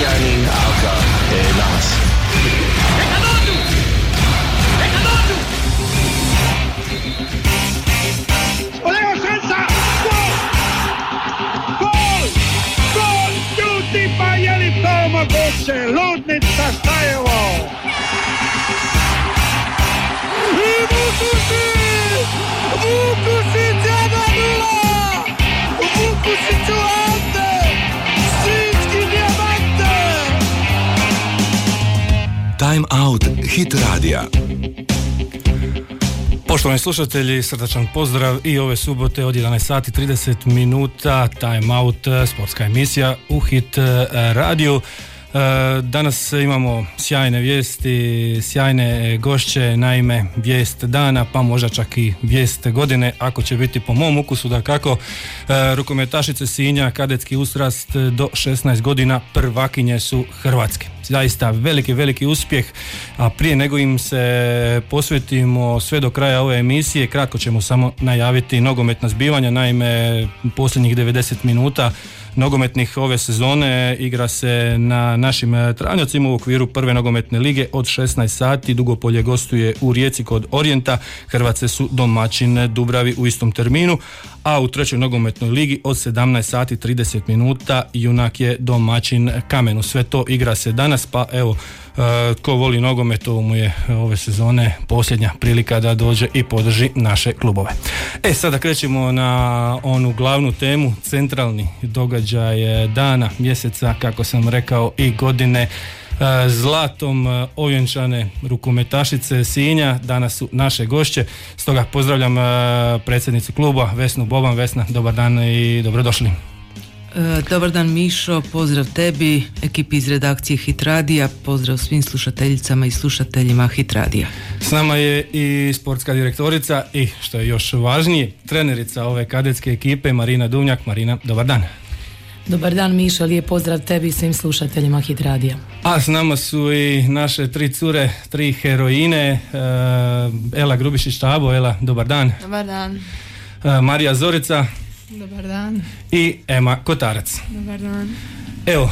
Marianin alkaa nas. Leo Senza! Gol! Gol! Gol! Tutti Bajeli Toma Goše! Ludnica Stajevo! I Vukušić! Vukušić 1-0! Vukušiću Ante! Sinjski dijamante! Time Out Hit Radija. Poštovani slušatelji, srdačan pozdrav i ove subote od 11 sati 30 minuta Time Out, sportska emisija u Hit radiju. Danas imamo sjajne vijesti, sjajne gošće, naime vijest dana, pa možda čak i vijest godine, ako će biti po mom ukusu, dakako. Rukometašice Sinja, kadetski uzrast do 16 godina, prvakinje su Hrvatske. Zaista veliki uspjeh, a prije nego im se posvetimo sve do kraja ove emisije, kratko ćemo samo najaviti nogometna zbivanja. Naime, posljednjih 90 minuta nogometnih ove sezone igra se na našim travnjacima u okviru prve nogometne lige od 16 sati. Dugopolje gostuje u Rijeci kod Orijenta, Hrvatske su domaćin Dubravi u istom terminu, a u trećoj nogometnoj ligi od 17 sati 30 minuta Junak je domaćin Kamenu. Sve to igra se danas, pa evo, tko voli nogomet, ovo mu je ove sezone posljednja prilika da dođe i podrži naše klubove. Sada krećemo na onu glavnu temu, centralni događaj dana, mjeseca, kako sam rekao, i godine. Zlatom ovjenčane rukometašice Sinja danas su naše gošće, stoga pozdravljam predsjednicu kluba Vesnu Boban. Vesna, dobar dan i dobrodošli. Dobar dan Mišo, pozdrav tebi, ekipi iz redakcije Hit Radija, pozdrav svim slušateljicama i slušateljima Hit Radija. S nama je i sportska direktorica i, što je još važnije, trenerica ove kadetske ekipe Marina Duvnjak. Marina, dobar dan. Dobar dan Mišo, lijep pozdrav tebi i svim slušateljima Hit Radija. A s nama su i naše tri cure, tri heroine, Ela Grubišić-Tabo. Ela, dobar dan. Dobar dan. Marija Zorica. Dobar dan. I Ema Kotarac. Dobar dan. Evo,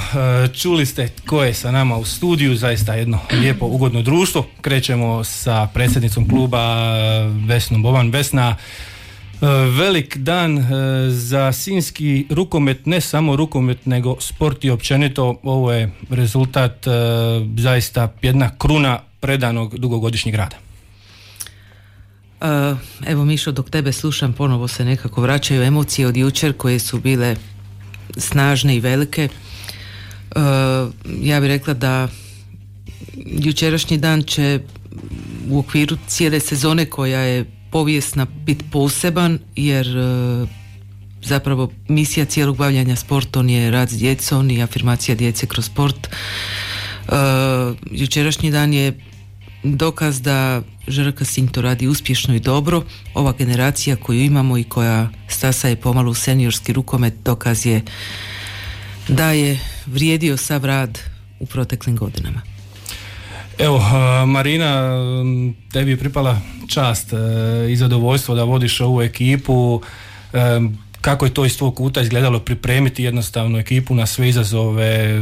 čuli ste tko je sa nama u studiju, zaista jedno lijepo, ugodno društvo. Krećemo sa predsjednicom kluba Vesnom Boban. Vesna, velik dan za sinjski rukomet, ne samo rukomet nego sport i općenito. Ovo je rezultat, zaista jedna kruna predanog dugogodišnjeg rada. Evo Mišo, dok tebe slušam, ponovo se nekako vraćaju emocije od jučer koje su bile snažne i velike. Ja bih rekla da jučerašnji dan će u okviru cijele sezone, koja je povijesna, biti poseban, jer zapravo misija cijelog bavljanja sportom je rad s djecom i afirmacija djece kroz sport. Jučerašnji dan je dokaz da ŽRK Sinj to radi uspješno i dobro. Ova generacija koju imamo i koja stasa je pomalo u seniorski rukomet, dokaz je da je vrijedio sav rad u proteklim godinama. Evo, Marina, tebi je pripala čast i zadovoljstvo da vodiš ovu ekipu. Kako je to iz tvog kuta izgledalo pripremiti jednostavno ekipu na sve izazove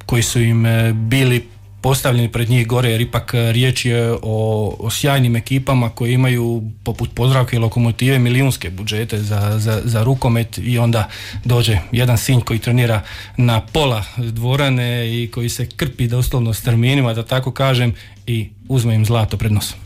koji su im bili postavljeni pred njih gore, jer ipak riječ je o sjajnim ekipama koje imaju poput Podravke i Lokomotive milijunske budžete za rukomet, i onda dođe jedan Sinj koji trenira na pola dvorane i koji se krpi doslovno s terminima, da tako kažem, i uzme im zlato pred nosom.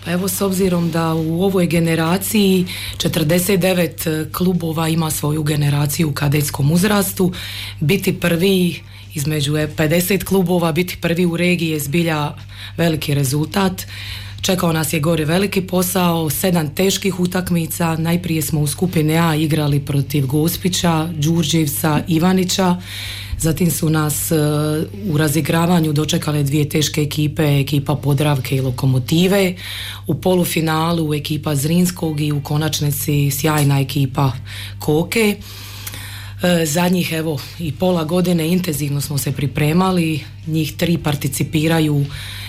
Pa evo, s obzirom da u ovoj generaciji 49 klubova ima svoju generaciju u kadetskom uzrastu, biti prvi između 50 klubova, biti prvi u regiji je zbilja veliki rezultat. Čekao nas je gore veliki posao, 7 teških utakmica. Najprije smo u skupini A igrali protiv Gospića, Đurđevca, Ivanića. Zatim su nas u razigravanju dočekale 2 teške ekipe, ekipa Podravke i Lokomotive. U polufinalu ekipa Zrinskog i u konačnici sjajna ekipa Koke. Zadnjih evo i pola godine intenzivno smo se pripremali, njih 3 participiraju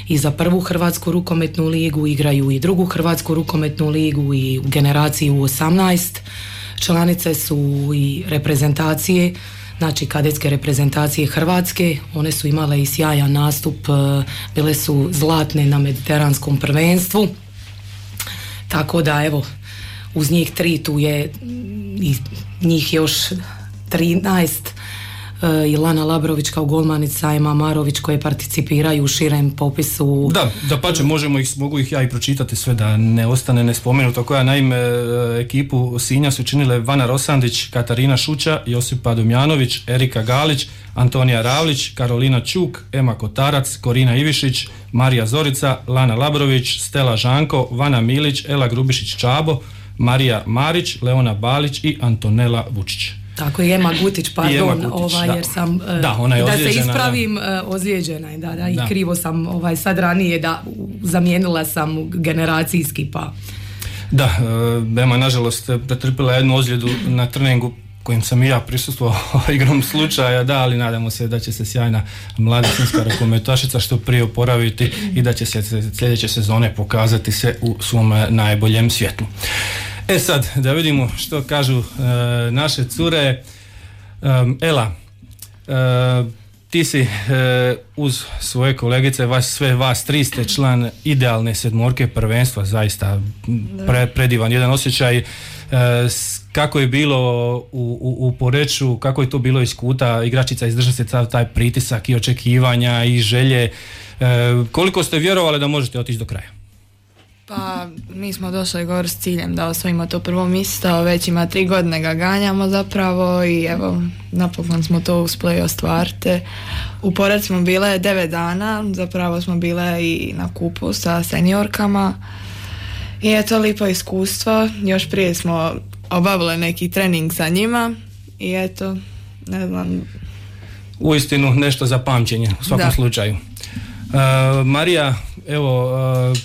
i za prvu Hrvatsku rukometnu ligu, igraju i drugu Hrvatsku rukometnu ligu i u generaciji U18. Članice su i reprezentacije znači kadetske reprezentacije Hrvatske. One su imale i sjajan nastup, bile su zlatne na mediteranskom prvenstvu, tako da evo, uz njih 3 tu je i njih još 13, i Lana Labrović kao golmanica, Ema Marović koje participiraju u širem popisu. Da pače, mogu ih ja i pročitati sve da ne ostane nespomenuto. Koja naime ekipu Sinja su činile Vana Rosandić, Katarina Šuća, Josipa Dumjanović, Erika Galić, Antonija Ravlić, Karolina Čuk, Ema Kotarac, Korina Ivišić, Marija Zorica, Lana Labrović, Stela Žanko, Vana Milić, Ela Grubišić Čabo, Marija Marić, Leona Balić i Antonela Vučić. Tako je, Ema Gutić, pardon, Gutić, jer sam, ona je da se ozlijeđena, ispravim, ozlijeđena je, i krivo sam sad ranije, zamijenila sam generacijski, pa... Da, Ema nažalost pretrpila jednu ozljedu na treningu kojim sam i ja prisustvovao igrom slučaja, ali nadamo se da će se sjajna mlada sinjska rukometašica što prije oporaviti i da će se sljedeće sezone pokazati se u svom najboljem svjetlu. Sad, da vidimo što kažu naše cure. Ela, ti si uz svoje kolegice, sve vas 3 ste član idealne sedmorke prvenstva, zaista predivan jedan osjećaj. Kako je bilo u Poreču, kako je to bilo iz kuta igračica, izdržati se taj pritisak i očekivanja i želje, koliko ste vjerovali da možete otići do kraja? Pa mi smo došli gore s ciljem da osvojimo to prvo mjesto, već ima 3 godine ga ganjamo zapravo i evo napokon smo to uspjeli ostvariti. U Poreču smo bile 9 dana, zapravo smo bile i na kupu sa seniorkama i eto lipo iskustvo, još prije smo obavili neki trening sa njima i eto, ne znam. Uistinu nešto za pamćenje u svakom slučaju. Marija, evo,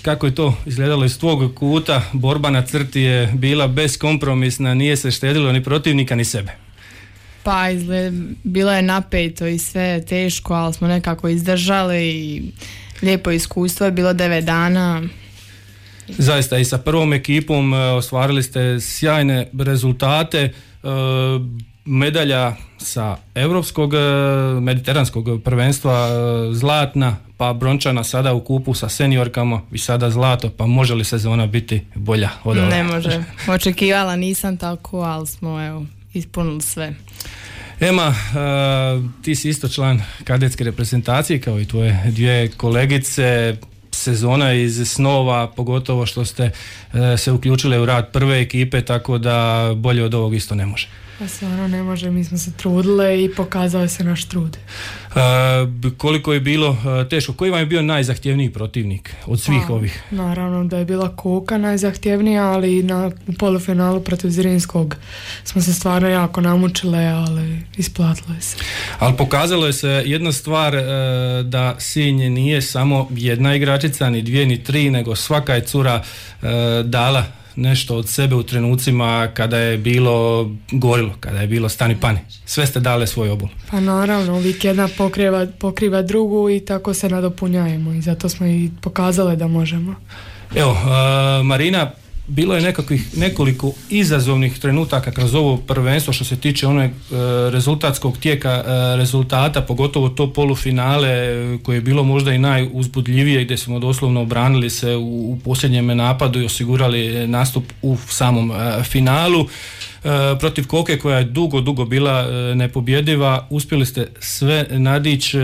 kako je to izgledalo iz tvog kuta? Borba na crti je bila beskompromisna, nije se štedilo ni protivnika ni sebe. Pa bilo je napeto i sve teško, ali smo nekako izdržali i lijepo iskustvo je bilo 9 dana. Zaista i sa prvom ekipom ostvarili ste sjajne rezultate, medalja sa europskog mediteranskog prvenstva zlatna, pa brončana sada u kupu sa seniorkama i sada zlato, pa može li sezona biti bolja od ove? Ne može, očekivala nisam tako, ali smo ispunili sve. Ema, ti si isto član kadetske reprezentacije kao i tvoje 2 kolegice. Sezona iz snova, pogotovo što ste se uključile u rad prve ekipe, tako da bolje od ovog isto ne može. Pa stvarno ne može, mi smo se trudile i pokazao se naš trud. Koliko je bilo teško? Koji vam je bio najzahtjevniji protivnik od svih ovih? Naravno da je bila Koka najzahtjevnija, ali u polufinalu protiv Zrinskog smo se stvarno jako namučile, ali isplatilo je se. Ali pokazalo je se jedna stvar, da Sinj nije samo jedna igračica, ni 2 ni 3, nego svaka je cura dala nešto od sebe u trenucima kada je bilo gorilo, kada je bilo stani pani. Sve ste dale svoj obol. Pa naravno, uvijek jedna pokriva drugu i tako se nadopunjajemo i zato smo i pokazali da možemo. Evo, Marina, bilo je nekoliko izazovnih trenutaka kroz ovo prvenstvo što se tiče onog rezultatskog tijeka rezultata, pogotovo to polufinale koje je bilo možda i najuzbudljivije, gdje smo doslovno obranili se u posljednjem napadu i osigurali nastup u samom finalu. Protiv Koke koja je dugo bila nepobjediva, uspjeli ste sve nadići.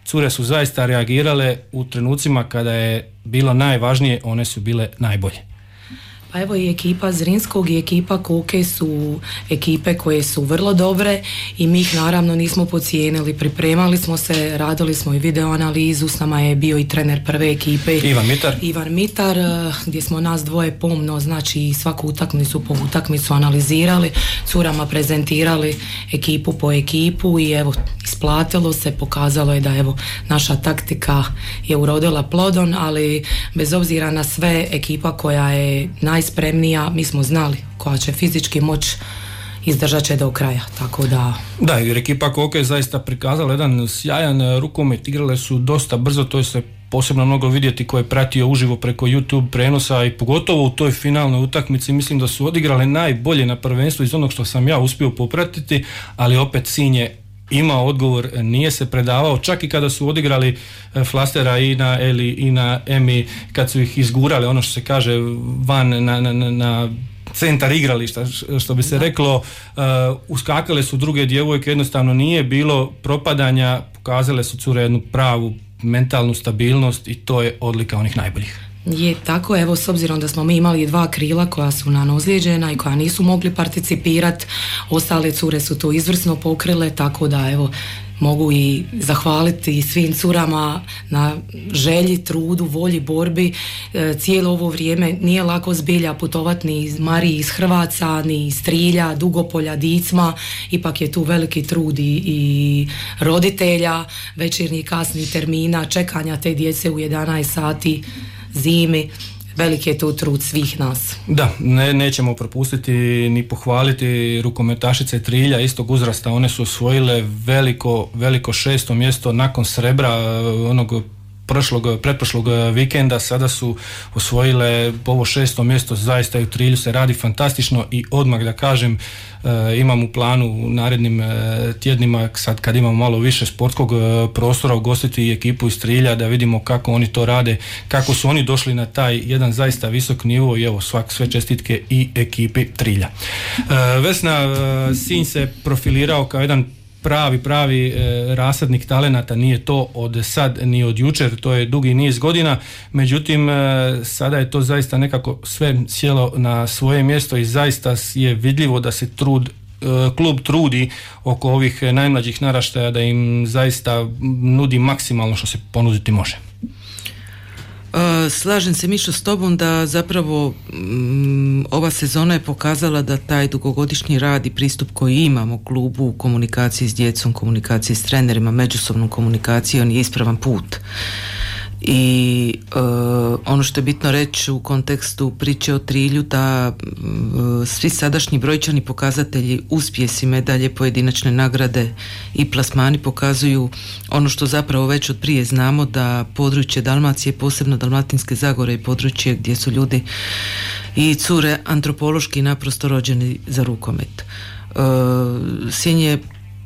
Cure su zaista reagirale u trenucima kada je bilo najvažnije, one su bile najbolje. Pa evo i ekipa Zrinskog i ekipa Koke su ekipe koje su vrlo dobre i mi ih naravno nismo podcijenili, pripremali smo se, radili smo i video analizu, s nama je bio i trener prve ekipe Ivan Mitar, gdje smo nas dvoje pomno, znači svaku utakmicu po utakmicu analizirali, curama prezentirali ekipu po ekipu i evo isplatilo se, pokazalo je da evo naša taktika je urodila plodom, ali bez obzira na sve ekipa koja je najspremnija, mi smo znali koja će fizički moć izdržat će do kraja, tako da... Da, jer ekipa Koke je zaista prikazala jedan sjajan rukomet, igrale su dosta brzo, to je se posebno mnogo vidjeti ko je pratio uživo preko YouTube prenosa i pogotovo u toj finalnoj utakmici mislim da su odigrale najbolje na prvenstvu iz onog što sam ja uspio popratiti, ali opet Sinj je imao odgovor, nije se predavao, čak i kada su odigrali flastera i na Eli i na Emi, kad su ih izgurali, ono što se kaže, van na centar igrališta, što bi se reklo, uskakale su druge djevojke, jednostavno nije bilo propadanja, pokazale su cure jednu pravu mentalnu stabilnost i to je odlika onih najboljih. Je tako, evo, s obzirom da smo mi imali 2 krila koja su nam ozlijeđena i koja nisu mogli participirati, ostale cure su to izvrsno pokrile, tako da evo, mogu i zahvaliti svim curama na želji, trudu, volji, borbi. Cijelo ovo vrijeme nije lako zbilja putovati ni iz Mariji iz Hrvaca, ni iz Trilja, Dugopolja, Dicma, ipak je tu veliki trud i roditelja, večernji kasni termina, čekanja te djece u 11 sati zimi. Veliki je to trud svih nas. Da, nećemo propustiti ni pohvaliti rukometašice Trilja istog uzrasta. One su osvojile veliko 6. mjesto nakon srebra onog pretprošlog vikenda. Sada su osvojile ovo 6. mjesto. Zaista u Trilju se radi fantastično i odmah da kažem, imam u planu u narednim tjednima, sad kad imamo malo više sportskog prostora, ugostiti i ekipu iz Trilja da vidimo kako oni to rade, kako su oni došli na taj jedan zaista visok nivo i evo sve čestitke i ekipi Trilja. Vesna, Sinj se profilirao kao jedan pravi rasadnik talenata, nije to od sad ni od jučer, to je dugi niz godina, međutim sada je to zaista nekako sve sjelo na svoje mjesto i zaista je vidljivo da se klub trudi oko ovih najmlađih naraštaja, da im zaista nudi maksimalno što se ponuditi može. Slažem se, Mišo, s tobom da zapravo ova sezona je pokazala da taj dugogodišnji rad i pristup koji imamo u klubu u komunikaciji s djecom, komunikaciji s trenerima, međusobnom komunikacijom je ispravan put. I ono što je bitno reći u kontekstu priče o Trilju, da svi sadašnji brojčani pokazatelji, uspjesi, medalje, pojedinačne nagrade i plasmani pokazuju ono što zapravo već od prije znamo, da područje Dalmacije, posebno Dalmatinske Zagore, je područje gdje su ljudi i cure antropološki naprosto rođeni za rukomet. Sinj je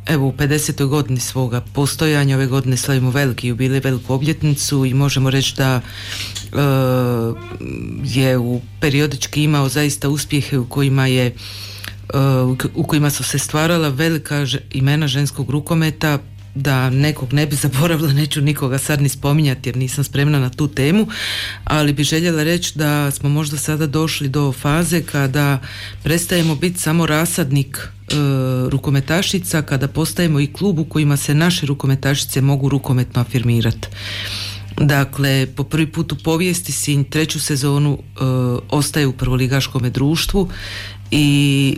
evo u 50. godini svoga postojanja, ove godine slavimo veliki jubilej, veliku obljetnicu i možemo reći da je periodički imao zaista uspjehe u kojima su se stvarala velika imena ženskog rukometa. Da nekog ne bi zaboravila, neću nikoga sad ni spominjati jer nisam spremna na tu temu, ali bi željela reći da smo možda sada došli do faze kada prestajemo biti samo rasadnik rukometašica, kada postajemo i klub u kojima se naše rukometašice mogu rukometno afirmirati. Dakle, po prvi put u povijesti Sinj 3. sezonu ostaje u prvoligaškome društvu i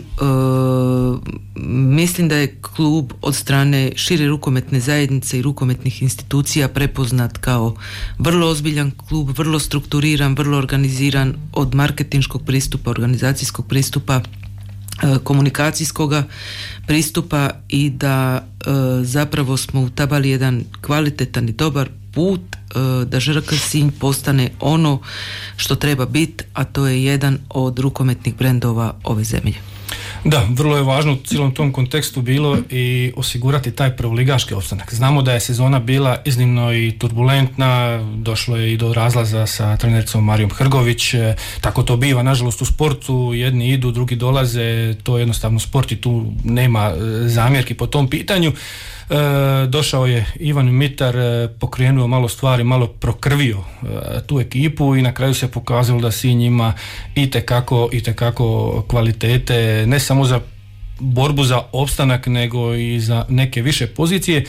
mislim da je klub od strane šire rukometne zajednice i rukometnih institucija prepoznat kao vrlo ozbiljan klub, vrlo strukturiran, vrlo organiziran, od marketinškog pristupa, organizacijskog pristupa, komunikacijskog pristupa, i da zapravo smo utabali jedan kvalitetan i dobar put da ŽRK Sinj postane ono što treba biti, a to je jedan od rukometnih brendova ove zemlje. Da, vrlo je važno u cijelom tom kontekstu bilo i osigurati taj prvoligaški opstanak. Znamo da je sezona bila iznimno i turbulentna, došlo je i do razlaza sa trenericom Marijom Hrgović, tako to biva nažalost u sportu, jedni idu, drugi dolaze, to je jednostavno sport i tu nema zamjerki po tom pitanju. Došao je Ivan Mitar, pokrenuo malo stvari, malo prokrvio tu ekipu i na kraju se pokazalo da Sinj ima itekako kvalitete, ne samo za borbu za opstanak nego i za neke više pozicije,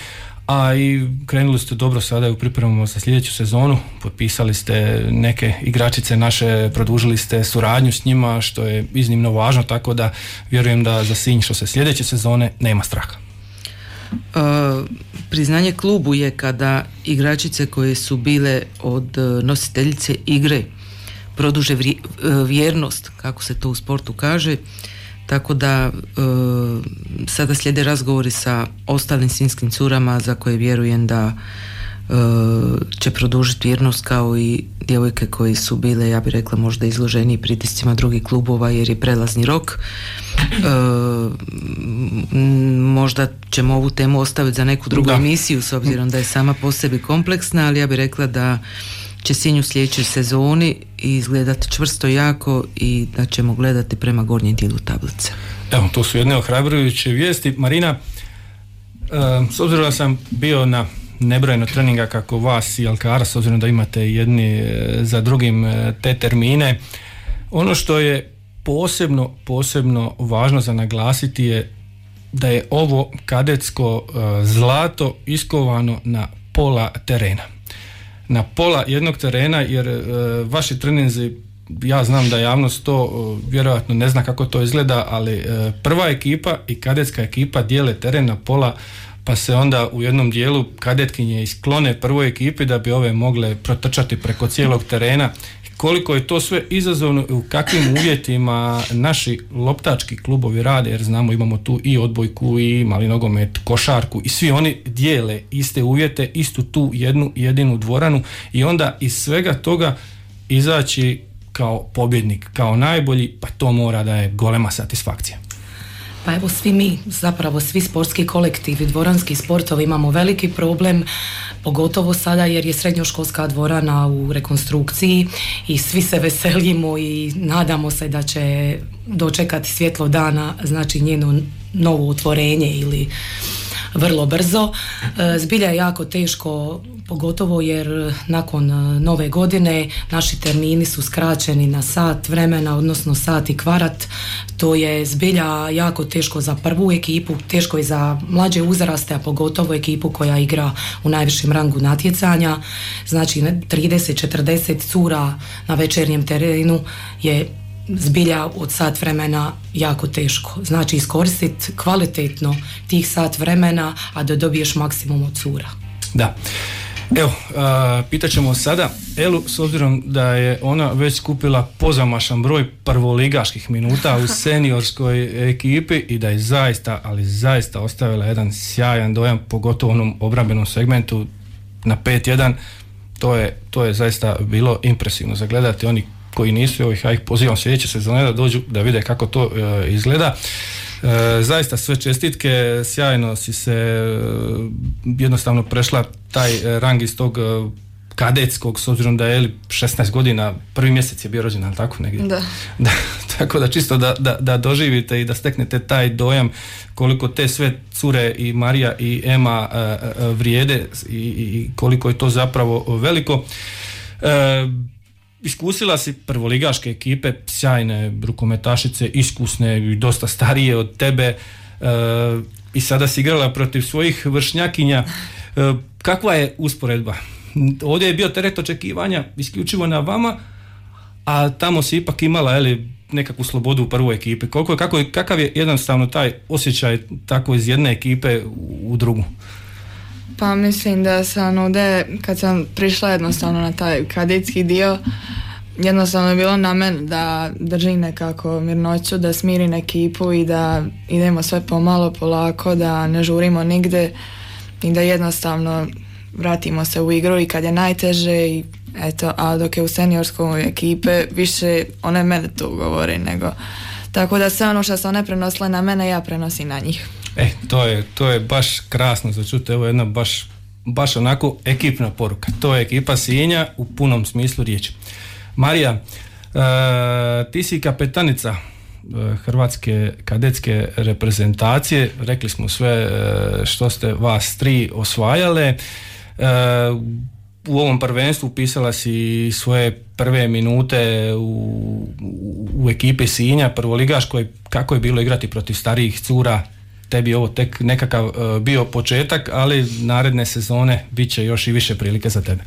a i krenuli ste dobro sada u pripremama za sljedeću sezonu, potpisali ste neke igračice naše, produžili ste suradnju s njima, što je iznimno važno, tako da vjerujem da za Sinj što se sljedeće sezone nema straha. Priznanje klubu je kada igračice koje su bile od nositeljice igre produže vjernost, kako se to u sportu kaže, tako da sada slijede razgovori sa ostalim sinjskim curama za koje vjerujem da će produžiti vjernost kao i djevojke koje su bile, ja bih rekla, možda izloženiji pritiscima drugih klubova jer je prelazni rok. Možda ćemo ovu temu ostaviti za neku drugu emisiju s obzirom da je sama po sebi kompleksna, ali ja bih rekla da će Sinj u sljedećoj sezoni izgledati čvrsto jako i da ćemo gledati prema gornjem dijelu tablice. Evo, to su jedne ohrabrujuće vijesti. Marina, s obzirom da sam bio na nebrojeno treninga kako vas i Alkara, s obzirom da imate jedni za drugim te termine, ono što je posebno važno za naglasiti je da je ovo kadetsko zlato iskovano na pola terena. Na pola jednog terena, jer vaši treninzi, ja znam da javnost to vjerojatno ne zna kako to izgleda, ali prva ekipa i kadetska ekipa dijele teren na pola, pa se onda u jednom dijelu kadetkinje isklone prvoj ekipi da bi ove mogle protrčati preko cijelog terena. Koliko je to sve izazovno i u kakvim uvjetima naši loptački klubovi rade, jer znamo imamo tu i odbojku i mali nogomet, košarku i svi oni dijele iste uvjete, istu tu jednu jedinu dvoranu i onda iz svega toga izaći kao pobjednik, kao najbolji, pa to mora da je golema satisfakcija. Pa evo svi mi, zapravo svi sportski kolektivi, dvoranski sportovi imamo veliki problem, pogotovo sada jer je srednjoškolska dvorana u rekonstrukciji i svi se veselimo i nadamo se da će dočekati svjetlo dana, znači njeno novo otvorenje ili vrlo brzo. Zbilja je jako teško, pogotovo jer nakon nove godine naši termini su skraćeni na sat vremena, odnosno sat i kvart. To je zbilja jako teško za prvu ekipu, teško je za mlađe uzraste, a pogotovo ekipu koja igra u najvišem rangu natjecanja. Znači 30-40 cura na večernjem terenu je zbilja od sat vremena jako teško. Znači iskoristiti kvalitetno tih sat vremena, a da dobiješ maksimum od cura. Da. Evo, pitat ćemo sada Elu, s obzirom da je ona već skupila pozamašan broj prvoligaških minuta u seniorskoj ekipi i da je zaista, ali zaista ostavila jedan sjajan dojam, pogotovo u onom obrambenom segmentu na 5-1. To je zaista bilo impresivno za gledati. Oni koji nisu, ja ih pozivam sljedeće sezone da dođu da vide kako to izgleda. Zaista sve čestitke, sjajno si se jednostavno prešla taj rang iz tog kadetskog, s obzirom da je 16 godina, prvi mjesec je bio rođen, ali tako negdje? Da. Tako da čisto da doživite i da steknete taj dojam koliko te sve cure i Marija i Ema vrijede i koliko je to zapravo veliko. Iskusila si prvoligaške ekipe, sjajne rukometašice, iskusne i dosta starije od tebe, i sada si igrala protiv svojih vršnjakinja. Kakva je usporedba? Ovdje je bio teret očekivanja isključivo na vama, a tamo si ipak imala nekakvu slobodu u prvoj ekipi. Kakav je jednostavno taj osjećaj tako iz jedne ekipe u drugu? Pa mislim da sam ovdje, kad sam prišla jednostavno na taj kadetski dio, jednostavno je bilo na meni da držim nekako mirnoću, da smirim ekipu i da idemo sve pomalo, polako, da ne žurimo nigde i da jednostavno vratimo se u igru i kad je najteže i eto, a dok je u seniorskoj ekipe više one mene tu govore nego, tako da sve ono što su one prenosile na mene ja prenosim na njih. To je baš krasno za čuti, evo jedna baš onako ekipna poruka. To je ekipa Sinja u punom smislu riječi. Marija, ti si kapetanica hrvatske kadetske reprezentacije, rekli smo sve što ste vas tri osvajale. U ovom prvenstvu upisala si svoje prve minute u ekipi Sinja, prvoligaškoj. Kako je bilo igrati protiv starijih cura? Tebi ovo tek nekakav bio početak, ali naredne sezone bit će još i više prilike za tebe.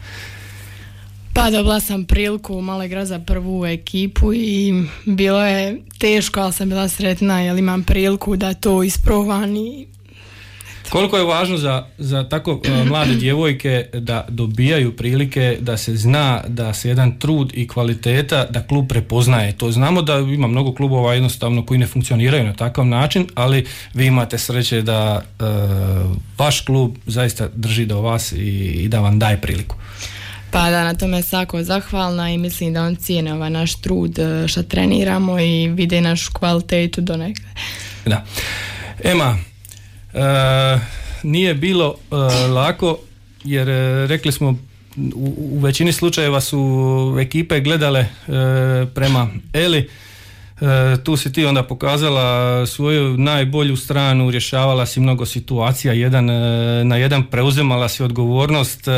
Pa dobila sam priliku malo igrati za prvu ekipu i bilo je teško, ali sam bila sretna jer imam priliku da to isprobam i eto. Koliko je važno za tako mlade djevojke da dobijaju prilike, da se zna da se jedan trud i kvaliteta da klub prepoznaje. To znamo da ima mnogo klubova jednostavno koji ne funkcioniraju na takav način, ali vi imate sreće da vaš klub zaista drži do vas i da vam daje priliku. Pa da, na tome svako zahvalna i mislim da on cijene ovaj naš trud što treniramo i vide našu kvalitetu do negdje. Da. Ema, nije bilo lako jer rekli smo u većini slučajeva su ekipe gledale prema Eli. Tu si ti onda pokazala svoju najbolju stranu, rješavala si mnogo situacija, jedan na jedan preuzimala si odgovornost.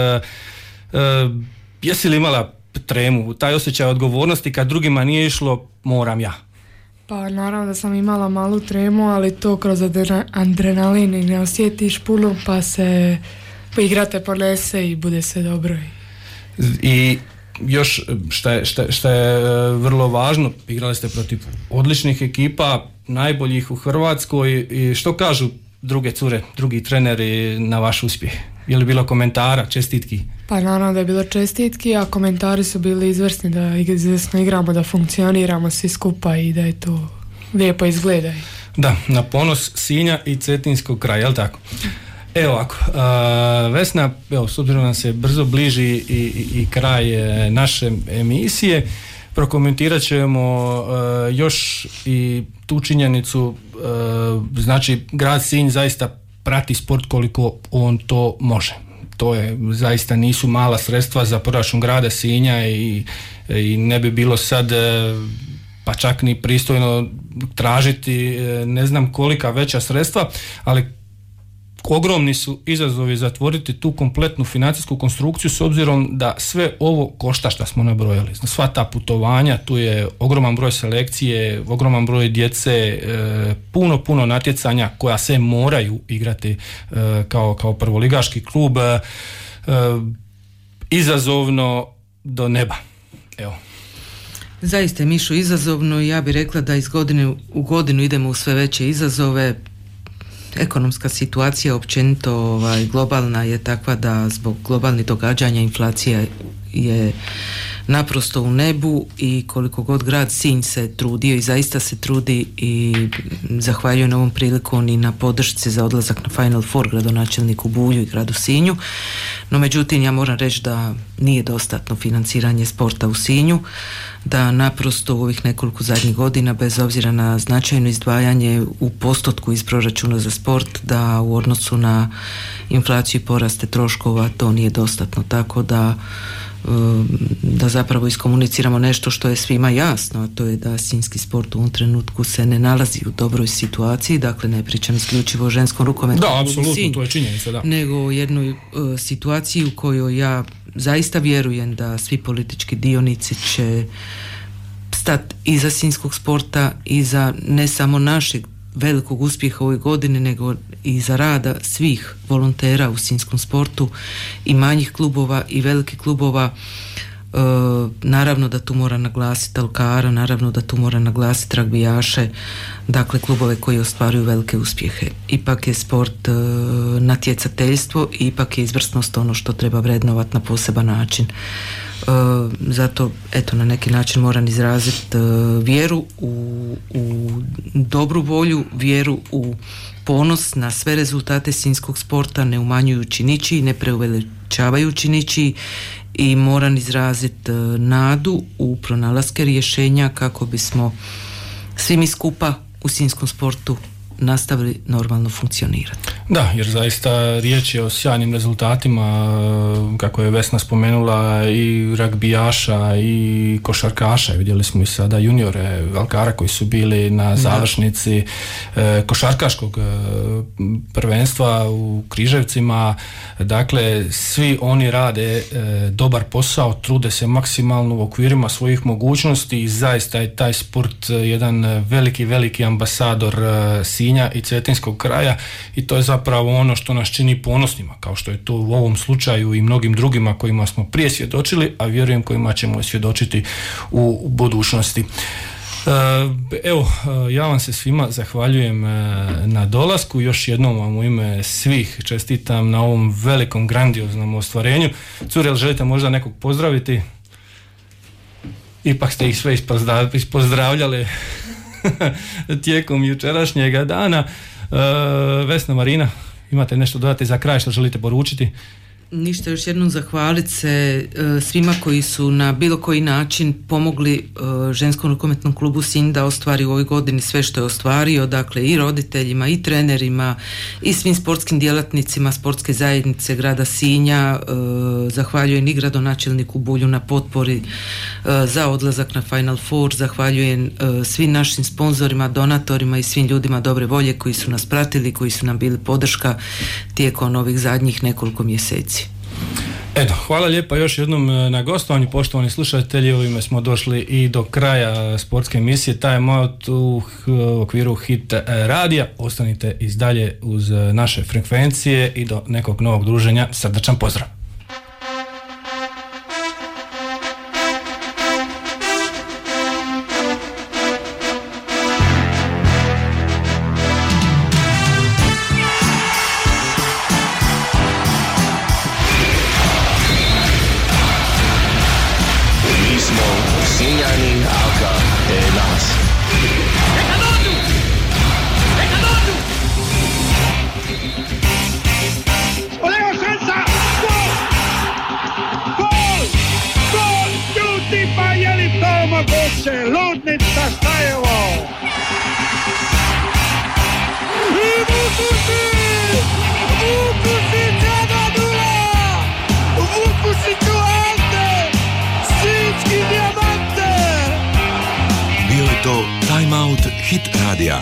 Jesi li imala tremu, taj osjećaj odgovornosti kad drugima nije išlo, moram ja? Pa naravno da sam imala malu tremu, ali to kroz adrenalin i ne osjetiš puno, pa se igrate ponese i bude sve dobro. I još šta je vrlo važno, igrali ste protiv odličnih ekipa, najboljih u Hrvatskoj, i što kažu druge cure, drugi treneri na vaš uspjeh? Je li bilo komentara, čestitki? Pa naravno da je bilo čestitki, a komentari su bili izvrsni, da izvrsno igramo, da funkcioniramo svi skupa i da je to lijepo izgleda. Da, na ponos Sinja i Cetinskog kraja, je li tako? Evo ovako, Vesna, evo, s obzirom da se brzo bliži i kraj naše emisije, prokomentirat ćemo još i tu činjenicu, znači grad Sinj zaista prati sport koliko on to može. To je, zaista nisu mala sredstva za proračun grada Sinja i ne bi bilo sad pa čak ni pristojno tražiti ne znam kolika veća sredstva, ali ogromni su izazovi zatvoriti tu kompletnu financijsku konstrukciju s obzirom da sve ovo košta što smo nabrojali. Sva ta putovanja, tu je ogroman broj selekcije, ogroman broj djece, puno natjecanja koja se moraju igrati kao prvoligaški klub, izazovno do neba. Evo. Zaista je, Mišo, izazovno i ja bih rekla da iz godine u godinu idemo u sve veće izazove. Ekonomska situacija općenito globalna je takva da zbog globalnih događanja inflacija je naprosto u nebu i koliko god grad Sinj se trudio i zaista se trudi i zahvaljujem ovom prilikom i na podršci za odlazak na Final Four gradonačelniku Bulju i gradu Sinju, no međutim ja moram reći da nije dostatno financiranje sporta u Sinju, da naprosto u ovih nekoliko zadnjih godina bez obzira na značajno izdvajanje u postotku iz proračuna za sport, da u odnosu na inflaciju i poraste troškova to nije dostatno, tako da zapravo iskomuniciramo nešto što je svima jasno, a to je da sinjski sport u ovom trenutku se ne nalazi u dobroj situaciji, dakle ne pričam isključivo o ženskom rukometu, da, apsolutno, to je činjenica, da, nego o jednoj situaciji u kojoj ja zaista vjerujem da svi politički dionici će stati iza sinjskog sporta, iza ne samo našeg velikog uspjeha u ovoj godini, nego i za rada svih volontera u sinjskom sportu i manjih klubova i velikih klubova. Naravno da tu mora naglasiti alkara, naravno da tu mora naglasiti ragbijaše, dakle klubove koji ostvaruju velike uspjehe. Ipak je sport natjecateljstvo i ipak je izvrsnost ono što treba vrednovati na poseban način. Zato eto na neki način moram izraziti vjeru u dobru volju, vjeru u ponos na sve rezultate sinjskog sporta, ne umanjujući ničiji, ne preuveličavajući ničiji, i moram izraziti nadu u pronalaske rješenja kako bismo svi mi skupa u sinjskom sportu nastavili normalno funkcionirati. Da, jer zaista riječ je o sjajnim rezultatima, kako je Vesna spomenula, i ragbijaša i košarkaša. Vidjeli smo i sada juniore alkara koji su bili na završnici košarkaškog prvenstva u Križevcima. Dakle, svi oni rade dobar posao, trude se maksimalno u okvirima svojih mogućnosti i zaista je taj sport jedan veliki ambasador Sinja i Cetinskog kraja i to je zapravo ono što nas čini ponosnima, kao što je to u ovom slučaju i mnogim drugima kojima smo prije svjedočili, a vjerujem kojima ćemo svjedočiti u budućnosti. Evo, ja vam se svima zahvaljujem na dolasku, još jednom vam u ime svih čestitam na ovom velikom grandioznom ostvarenju. Cure, jel želite možda nekog pozdraviti? Ipak ste ih sve ispozdravljali tijekom jučerašnjega dana. Vesna, Marina, imate nešto dodati za kraj što želite poručiti? Ništa, još jednom zahvaliti se svima koji su na bilo koji način pomogli ženskom rukometnom klubu Sinj da ostvari u ovoj godini sve što je ostvario, dakle i roditeljima i trenerima i svim sportskim djelatnicima sportske zajednice grada Sinja. Zahvaljujem i gradonačelniku Bulju na potpori za odlazak na Final Four, zahvaljujem svim našim sponzorima, donatorima i svim ljudima dobre volje koji su nas pratili, koji su nam bili podrška tijekom ovih zadnjih nekoliko mjeseci. Eto, hvala lijepa još jednom na gostovanju, poštovani slušatelji. Ovime smo došli i do kraja sportske emisije Time Out u okviru Hit radija. Ostanite i dalje uz naše frekvencije i do nekog novog druženja. Srdačan pozdrav! Ludnica Stajevo! I Vukušić 1:0! Vukušiću Ante! Sinjski dijamante! Bio je to Time Out Hit radija.